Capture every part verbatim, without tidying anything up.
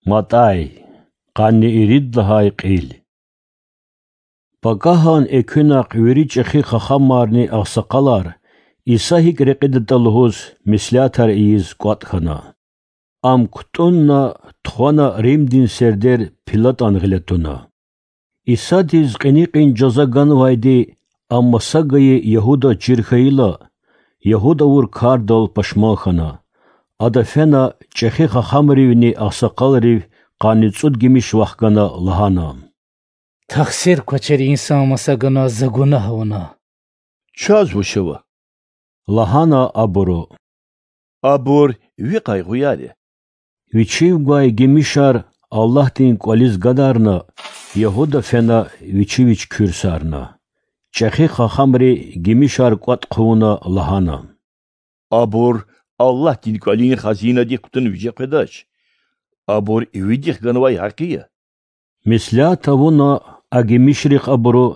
МатӀай, къанни ирид лагьай кьил. Пакагьан экуьнахъ вири чӀехи хахамарни агъсакъалар, Иса гьикӀ рекьидатӀа лугьуз, меслятар ийиз кӀватӀ хьана. Ам кутӀунна, тухвана Римдин сердер ПилатӀан гъиле туна. Исадиз кьиникьин жаза ганвайди Ам маса гайи Ягьуда чир хьайила, Ягьуд авур кардал пашман хьана. Ада фена чӀехи хахамривни агъсакъалрив къанни цӀуд гимиш вахгана, лагьана: Тахсир квачир инсан маса ганваз За гунагь авуна. Чаз вуч ава? лагьана абуру. Абур Ви къайгъуяр я. Вичив гвай гимишар Аллагьдин кӀвализ гадарна, Ягьуда фена вичи вич куьрсарна. ЧӀехи хахамри гимишар кӀватӀ хъувуна, лагьана: Абур Аллагьдин кӀвалин хазинадик кутун виже къведач. Абур ивидихъ ганвай гьакъи я. Меслят авуна а гимишрихъ абуру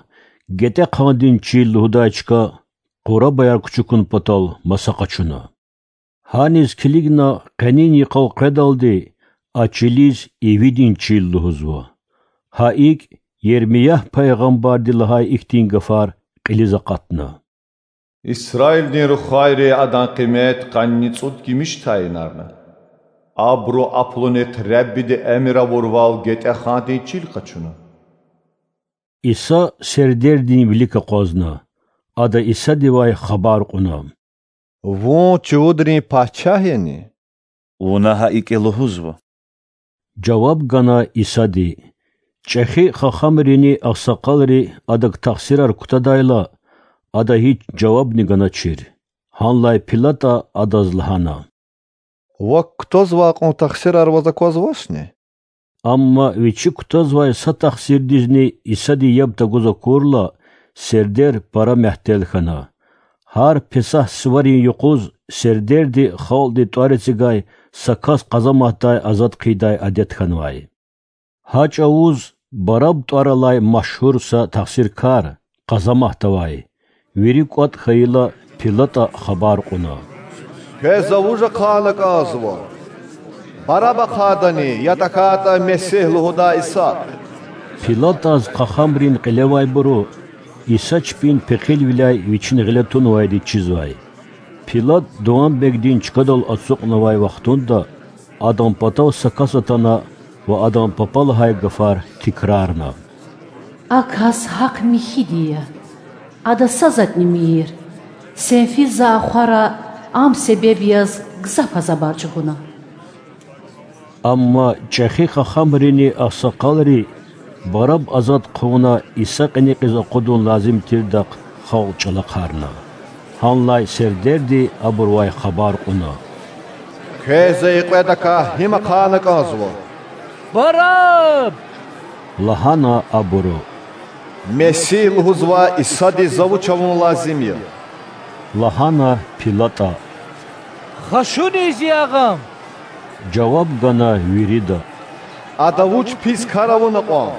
ГетӀехъандин чил лугьудай чка къурабаяр кучукун патал маса къачуна. Гьаниз килигна къенин йикъал къведалди а чилиз Ивидин чил лугьузва. Гьа икӀ Ермиягь пайгъамбарди лагьай ихьтин гафар кьилиз акъатна: Исраилдин рухвайри адан къимет къанни цӀуд гимиш тайинарна. Абуру а пулунихъ Реббиди эмир авурвал ГетӀехъандин чил къачуна. Иса сердердин вилик акъвазна. Ада Исадивай хабар кьуна: Вун чувудрин пачагь яни? Вуна гьа икӀ лугьузва,– жаваб гана Исади. ЧӀехи хахамрини агъсакъалри Адак тахсирар кутадайла, Ада гьич жавабни ганачир. Гьанлай ПилатӀа Адаз лагьана: Вак кутазвай кьван тахсирар ваз аквазвачни? Амма вичи кутазвай са тахсирдизни Исади яб тагуз акурла, сердер пара мягьтел хьана. Гьар Песагь суварин юкъуз сердерди халкьди тӀвар эцигай са кас къазаматдай азад хъийидай адет хьанвай. Гьа чӀавуз Бараб тӀвар алай машгьур са тахсиркар къазамат авай. Вири кӀватӀ хьайила, ПилатӀа хабар кьуна: Квез за вуж ахъайна кӀанзава: Бараб ахъайдани, я тахьайтӀа Месигь лугьудай Иса? ПилатӀаз хахамрин кьилевайбуру Иса чпин пехилвиляй Вичин гъиле тунвайди чизвай. ПилатӀ Дуванбегдин чкадал ацукьнавай вахтунда Адан патав са кас атана ва Адан папа лагьай гафар тикрарна: А кас гьахъ-михьиди я. Ада са затӀни мийир. Сен физ за ахвара Ам себеб яз гзаф азабар чӀугуна. Амма чӀехи хахамрини агъсакъалри Бараб азад хъувуна, Иса кьиникьиз акъудун лазим тирдахъ халкь чӀалахъарна. Гьанлай сердерди абурувай хабар кьуна: Квез за и кьведакай гьим ахъайна кӀанзава? Бараб! лагьана абуру. Месигь лугьузвай Исадиз за вуч авун лазим я? лагьана ПилатӀа. Хашуниз ягъ Ам! жаваб гана вирида. Ада вуч пис кар авуна кьван?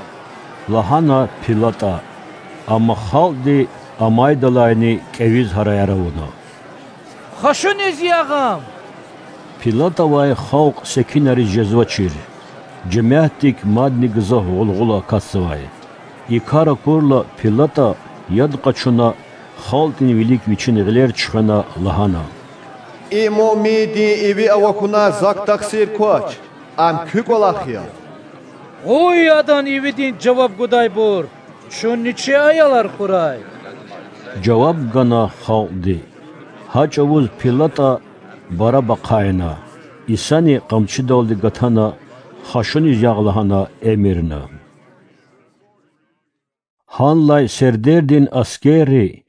лагьана ПилатӀа. Амма халкьди амайдалайни кӀевиз гьараяр авуна. Хашуниз ягъ Ам! ПилатӀавай халкь секинриз жезвачир. Жемятдик мадни гзаф гъулгъула акатзавай. И кар акурла, ПилатӀа, яд къачуна, халкьдин вилик вичин гъилер чуьхвена, лагьана: И муъминдин иви авахьунай зак тахсир квач. Ам куь кӀвалах я. Къуй Адан ивидин жаваб гудайбур! Чунни чи аялар хьурай! жаваб гана халкьди. Гьа чӀавуз ПилатӀа Бараб ахъайна, Исани къамчидалди гатана, хашуниз ягъ лагьана эмирна. Гьанлай сердердин аскерри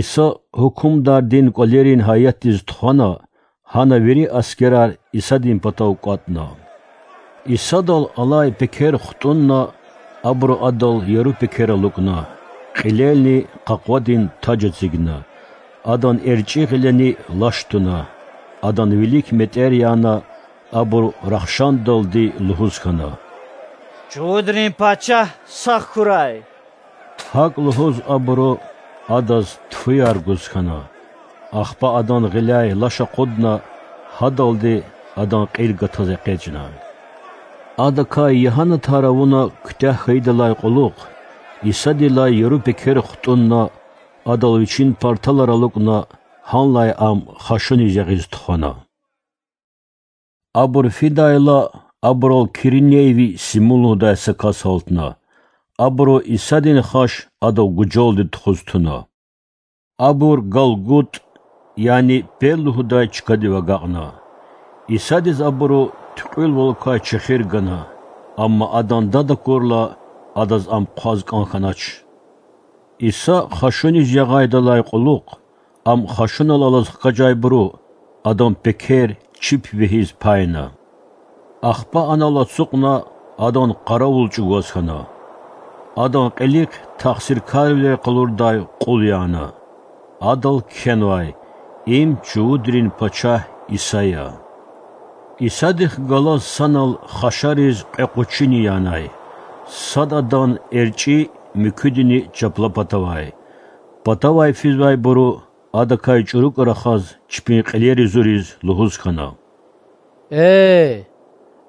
Иса гьукумдардин кӀвалерин гьайятдиз тухвана, гьана вири аскерар Исадин патав кӀватӀна. Исадал алай пекер хтӀунна, абуру Адал яру пекер алукӀна, кьилелни къакъвадин таж эцигна. Адан эрчӀи гъилени лаш туна, Адан вилик метӀер яна, абуру рахшандалди лугьуз хьана: Чувудрин Пачагь сагъ хьурай! ГьакӀ лугьуз абуру Адаз тфуяр гуз хьана. Ахпа Адан гъиляй лаш акъудна, гьадалди Адан кьил гатаз экъечӀна. Адакай ягьанатар авуна куьтягь хьайидалай кьулухъ, Исадилай яру пекер хтӀунна, Адал Вичин парталар алукӀна, гьанлай Ам хашуниз ягъиз тухвана. Абур фидайла, абурал Киринейви Симун лугьудай са кас гьалтна. Абуру Исадин хаш адав гужалди тухуз туна. Абур Галгут, яни Пел лугьудай чкадив агакьна. Исадиз абуру туькьуьлвалукай чехир гана, амма Адан дад акурла, Адаз Ам хъваз кӀан хьанач. Иса хашуниз ягъайдалай кьулухъ, Ам хашунал алаз хкажайбуру Адан пекер чип вегьиз пайна. Ахпа анал ацукьна, Адан къаравул чӀугваз хьана. Адан кьилихъ тахсиркарвилер къалурдай кьул яна. Адал кхьенвай: Им чувудрин пачагь Иса я. Исадихъ галаз санал хашариз кьве къучини янай: сад адан эрчӀи, муькуьдини чапла патавай. Патавай физвайбуру, Адакай чӀурукӀа рахаз, чпин кьилери зуриз лугьуз хьана: Эй,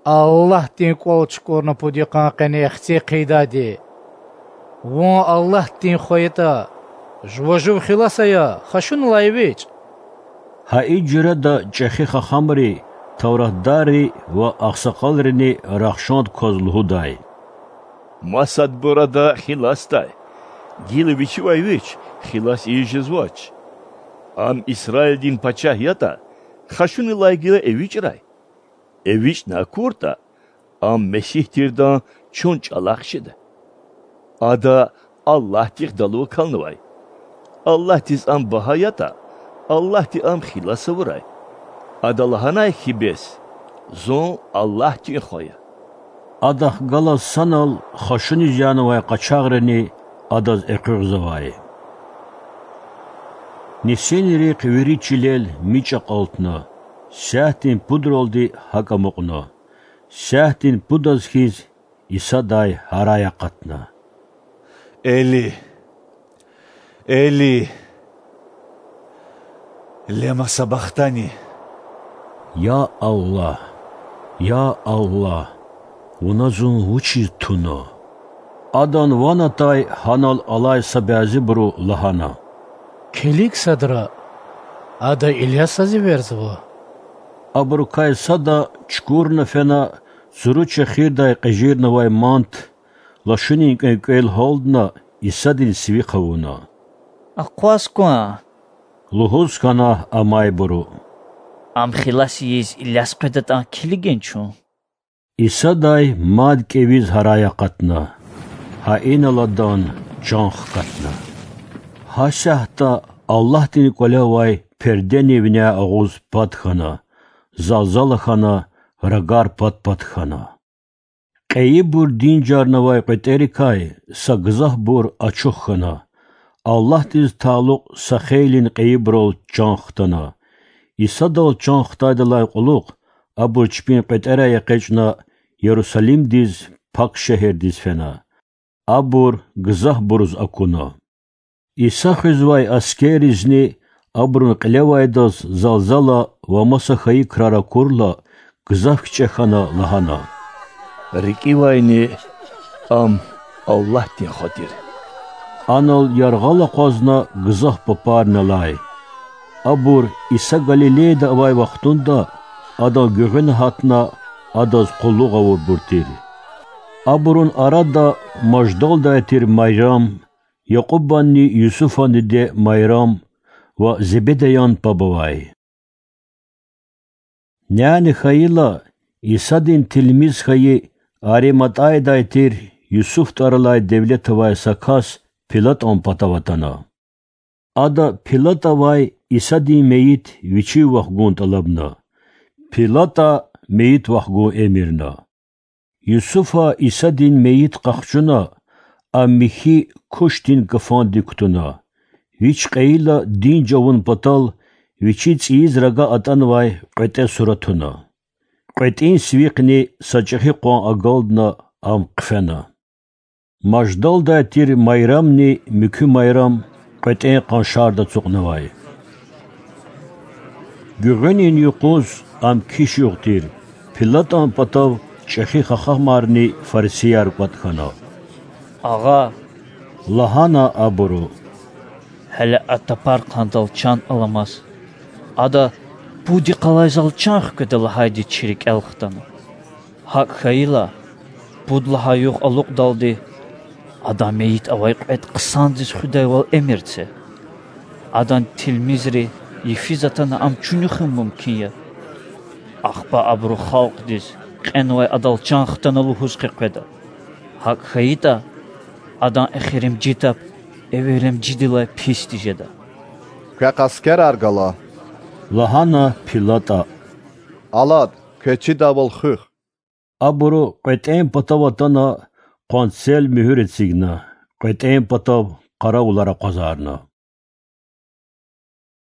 Аллагьдин КӀвал чукӀурна пуд йикъан къене Хци хъийидайди! Вун Аллагьдин Хва ятӀа, Жува жув хилас ая, хашуналай эвичӀ! Гьа и жуьреда чӀехи хахамри, тавратдарри ва агъсакъалрини рахшанд кваз лугьудай: Масадбур Ада хиласдай, гила Вичивай Вич хилас ийиз жезвач. Ам Исраилдин пачагь ятӀа, хашуналай гила эвичӀрай. ЭвичӀна акуртӀа, Ам Месигь тирдан чун чӀалахъ жеда. Ада Аллагьдихъ далу акалнавай. Аллагьдиз Ам багьа ятӀа, Аллагьди Ам хилас авурай. Ада лагьанай хьи бес: Зун Аллагьдин Хва я. Адахъ галаз санал хашуниз янавай къачагърини Адаз экъуьгъзавай. Нисинрихъ вири чилел мичӀ акьалтна, сятдин пудралди гьакӀ амукьна. Сятдин пудаз хьиз Исадай гьарай акъатна: Эли, Эли, лема сабахтани? Я Аллагь, я Аллагь, Вуна зун вучиз туна? Адан ван атай гьанал алай са бязибуру лагьана: Килиг садра, ада Илясаз эверзава. Абурукай сада чукурна фена, цуру чехирдай кьежирнавай мант, лашунин кӀвенкӀвел гьалдна, Исадин сивихъ авуна. Акъваз кван,— лугьуз хьана амайбуру,— Ам хилас ийиз Иляс къведатӀан килигин чун. Исадай мад кӀевиз гьарай акъатна, гьа инал Адан чан хкатна. Гьасятда Аллагьдин КӀвале авай пердени виняй агъуз пад хьана, залзала хьана, рагар пад-пад хьана. Кьейибур динжарнавай кьветӀерикай са гзафбур ачух хьана, Аллагьдиз талукь са хейлин кьейибурал чан хтана. Исадал чан хтайдалай кьулухъ абур чпин кьветӀерай экъечӀна, Ярусалимдиз, пак шегьердиз фена. Абур гзафбуруз акуна. Иса хуьзвай аскерризни абурун кьилевайдаз залзала ва маса хьайи крар акурла, гзаф кичӀе хьана, лагьана: РикӀивайни Ам Аллагьдин Хва тир. Анал яргъал акъвазна гзаф папарни алай. Абур Иса Галилейда авай вахтунда Адан гуьгъуьна гьатна, Адаз къуллугъ авурбур тир. Абурун арада Маждалдай тир Майрам, Якьубанни Юсуфан диде Майрам ва Зебедаян паб авай. Няни хьайила, Исадин тилмиз хьайи Ариматайдай тир Юсуф тӀвар алай девлет авай са кас ПилатӀан патав атана. Ада ПилатӀавай Исадин мейит вичив вахгун тӀалабна. ПилатӀа мейит вахгун эмирна. Юсуфа Исадин мейит къахчуна, а михьи кушдин кафандик кутуна. Вич кьейила динж авун патал вичи цӀийиз рага атӀанвай кьветӀе сура туна. КьветӀин сивихъни са чӀехи къван агалдна, ам хъфена. Маждалдай тир Майрамни муькуь Майрам кьветӀен къаншарда ацукьнавай. Гуьгъуьнин юкъуз ам киш югъ тир, ПилатӀан патав ЧӀехи хахамарни фарисияр кӀватӀ хьана. Агъа,— лагьана абуру,— гьеле а тапархандал чан аламаз. Ада пуд йикъалай зал чан хкведа лагьайди чи рикӀел хтана. ГьакӀ хьайила, пуд лагьай югъ алукьдалди Адан мейит авай кьвед хъсандиз хуьдайвал эмир це. Адан тилмизри йифиз атана ам чуьнуьхун мумкин я. Ахпа абуру халкьдиз кьенвай Адал чан хтана лугьуз къекъведа. ГьакӀ хьайитӀа, Адан эхиримжи тап эвелимжидилай писди жеда. Квехъ аскерар гала,— лагьана ПилатӀа,— алад, квез чидайвал хуьх. Абуру кьветӀен патав атана къванцел муьгьуьр эцигна, кьветӀен патав къаравулар акъвазарна.